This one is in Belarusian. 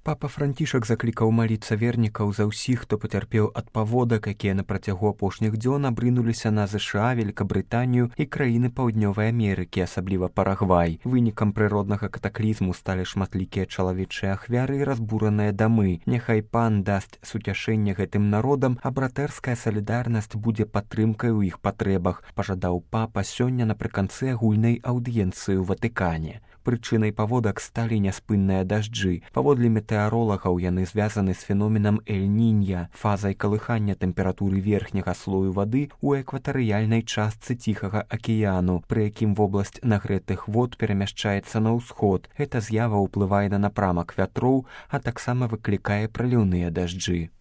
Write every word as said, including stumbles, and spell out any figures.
Папа Францішак заклікаў маліцца вернікаў за ўсіх, хто пацярпеў ад паводак, якія на працягу апошніх дзён абрынуліся на ЗША, Великабрытанію і краіны Паўднёвай Амерыкі, асабліва Парагвай. Вынікам прыроднага катаклізму сталі шматлікія чалавечыя ахвяры і разбураныя дамы. Няхай пан дасць суцяшэнне гэтым народам, а братэрская салідарнасць будзе падтрымкай у іх патрэбах, пажадаў папа сёння напрыканцы агульнай аўдыенцыі ў Ватыкане. Прычынай паводак сталі няспынныя дажджы. Паводле метэаролагаў яны звязаны з феноменам Эль-Нінья, фазай калыхання тэмпературы верхняга слою вады ў экватарыяльнай частцы Ціхага акіяну, пры якім вобласць нагрэтых вод перамяшчаецца на ўсход. Гэта з'ява ўплывае на напрамак вятроў, а таксама выклікае праліўныя дажджы.